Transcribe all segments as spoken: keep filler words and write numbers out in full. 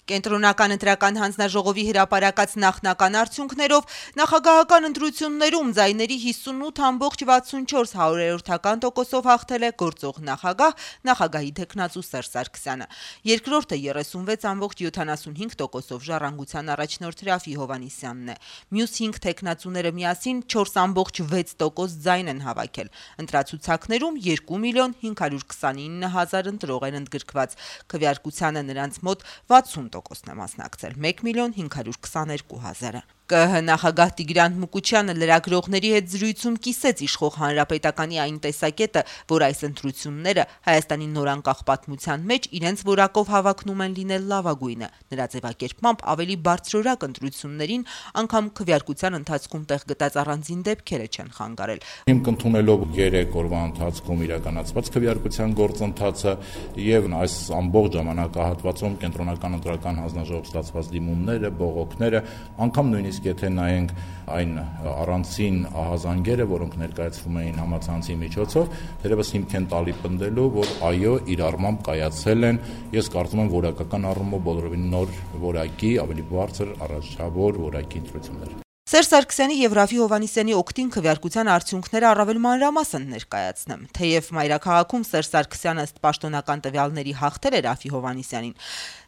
Կենտրոնական ընտրական հանձնաժողովի հրապարակած նախնական արդյունքներով նախագահական ընտրություններում ձայների հիսունութ ամբողջ վաթսունչորս հարյուրորդական տոկոսով հաղթել է գործող նախագահ նախագահի թեկնածու Սերժ Սարգսյանը։ Երկրորդը երեսունվեց ամբողջ յոթանասունհինգ տոկոսով Ժառանգության առաջնորդ Ռաֆֆի Հովհաննիսյանն է։ Մյուս հինգ թեկնածուները միասին չորս ամբողջ վեց տոկոս ձայն են հավաքել։ Ընտրացուցակներում երկու միլիոն հինգ հարյուր քսանինը հազար ընտրող են ընդգրկված։ Քվեարկությանը նրանց մոտ վաթսուն տոկոսն է մասնակցել, մեկ միլիոն հինգ հարյուր քսաներկու հազարը։ ԿԸՀ նախագահ Տիգրան Մուկուչյանը լրագրողների հետ զրույցում կիսեց իշխող հանրապետականի այն տեսակետը, որ այս ընտրությունները Հայաստանի նորանկախ պատմության մեջ իրենց որակով հավակնում են լինել լավագույնը։ Նրա ձևակերպմամբ ավելի բարձրորակ ընտրություններին անգամ քվեարկության ընթացքում տեղ գտած առանձին դեպքերը չեն խանգարել։ Հիմք ընդունելով երեք օրվա ընթացքում իրականացված քվեարկության գործընթացը եւ այս ամբողջ ժամանակահատվածում կենտրոնական ընտրական հանձնաժողով ստացված դիմումները, բողոքները, անգամ նույնիսկ եթե նայենք այն առանցին ահազանգերը, որոնք ներկայացվում էին համացանցի միջոցով, դերևս հիմք են տալի պնդելու, որ այո, իր առմամբ կայացել են, ես կարծում եմ որակական առումով բոլորովին նոր որակի, ավելի բարձր առաջավոր որակի ընտրություններ։ Սերժ Սարգսյանի եւ Ռաֆֆի Հովհաննիսյանի օգտին քվեարկության արդյունքները առավել մանրամասն ներկայացնեմ։ Թեև մայրաքաղաքում Սերժ Սարգսյանը ըստ պաշտոնական տվյալների հաղթել է Ռաֆֆի Հովհաննիսյանին,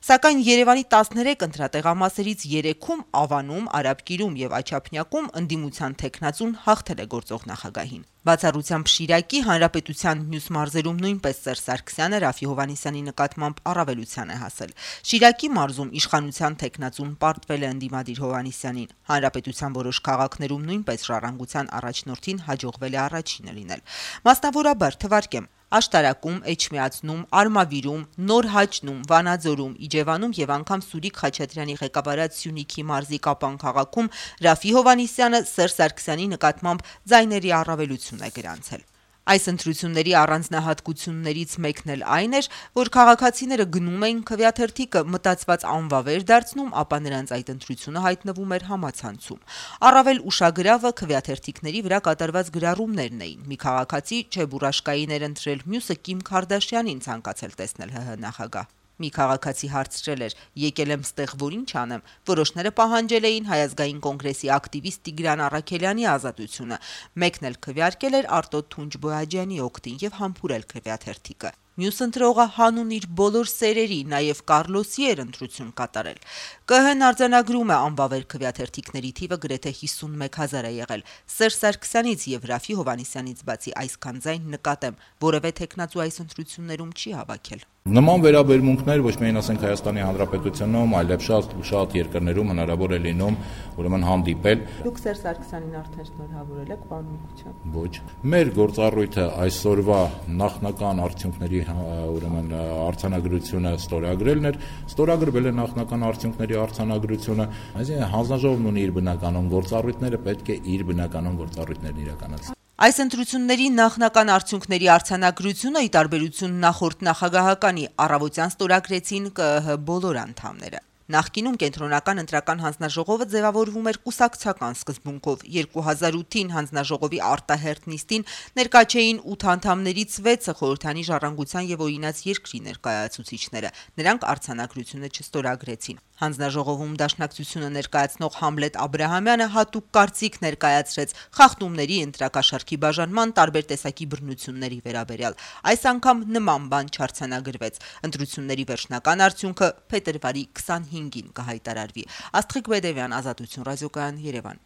սակայն Երևանի տասներեք ընտրատեղամասերից երեքում Ավանում, Արաբկիրում եւ Աչափնյակում ընդդիմության թեկնածուն հաղթել է գործող նախագահին։ Բացառությամբ Շիրակի, Հանրապետության մյուս մարզերում նույնպես Սերժ Սարգսյանը Ռաֆֆի Հովհաննիսյանի նկատմամբ առավելության է հասել։ Շիրակի մարզում իշխանության թեկնածուն պարտվել է ընդդիմադիր Հովհաննիսյանին։ Հանրապետության որոշ քաղաքներում նույնպես Ժառանգության առաջնորդին հաջողվել է առաջինը լինել։ Մասնավորաբար թվարկեմ. Աշտարակում, Էջմիածնում, Արմավիրում, Նոր Հաճնում, Վանաձորում, Իջևանում եւ անգամ Սուրիկ Խաչատրյանի ղեկավարած Սյունիքի մարզի Կապան քաղաքում Ռաֆֆի Հովհաննիսյանը Սերժ Սարգսյանի նկատմամբ ձայների առավելություն է գրանցել։ Այս ընտրությունների առանձնահատկություններից մեկն էլ այն էր, որ քաղաքացիները գնում էին քվեաթերթիկը մտածված անվավեր դարձնում, ապա նրանց այդ ընտրությունը հայտնվում էր համացանցում։ Առավել ուշագրավը քվեաթերթիկների վրա կատարված գրառումներն էին։ Մի քաղաքացի Չեբուրաշկային էր ընտրել, մյուսը Կիմ Քարդաշյանին ցանկացել տեսնել ՀՀ նախագահ։ Մի քաղաքացի հարցրել էր. եկել եմ ստեղ, որ ինչ անեմ։ Որոշները պահանջել էին Հայ ազգային կոնգրեսի ակտիվիստ Տիգրան Առաքելյանի ազատությունը։ Մեկն էլ քվեարկել էր Արտոտ Թունջբոյաջյանի օգտին եւ համբուրել քվեաթերթիկը։ Մյուս ընտրողը հանուն իր բոլոր սերերի, նաեւ Կառլոսի էր ընտրություն կատարել։ ԿԸՀ-ն արձանագրում է անվավեր քվեաթերթիկների թիվը գրեթե հիսունմեկ հազար է եղել։ Սերժ Սարգսյանից եւ Ռաֆֆի Հովհաննիսյանից բացի այսքան ձայն նկատեմ, որևէ թեկնածու այս ընտրություններում չի հավաքել։ Նման վերաբերմունքներ ոչ միայն ասենք Հայաստանի Հանրապետությունում, այլև շատ շատ երկրներում հնարավոր է լինում ուրեմն հանդիպել։ Դուք Սերժ Սարգսյանին արդեն շնորհավորել եք, պարոն Մուկուչյան։ Ոչ։ Մեր գործառույթը այսօրվա նախնական արդյունքների ուրեմն արձանագրությունը ստորագրելն էր, ստորագրվել է նախնական արդյունքների արձանագրությունը, այսինքն հանձնաժողովն ունի իր բնականon գործառույթները, պետք է իր բնականon գործառույթներն իրականացնի։ Այս ընտրությունների նախնական արդյունքների արձանագրությունը ի տարբերություն նախորդ նախագահականի առավոտյան ստորագրեցին ԿԸՀ բոլոր անդամները։ Նախկինում կենտրոնական ընտրական հանձնաժողովը ձևավորվում էր կուսակցական սկզբունքով։ երկու հազար ութին հանձնաժողովի արտահերթ նիստին ներկա չէին ութ անդամներից վեցը խորհրդանի Ժառանգության եւ Օրինաց երկրի ներկայացուցիչները։ Նրանք արձանագրությունը չստորագրեցին։ Հանձնաժողովում դաշնակցությունը ներկայացնող Համլետ Աբրահամյանը հատուկ կարծիք ներկայացրեց խախտումների ընտրակաշառքի բաժանման տարբեր տեսակի բռնությունների վերաբերյալ։ Այս անգամ նման բան չարձանագրվեց։ Ընտրությունների վերջնական արդյունքը փետրվարի քսանհինգին կհայտարարվի։ Աստղիկ Բեդևյան, Ազատություն ռադիոկայան, Երևան։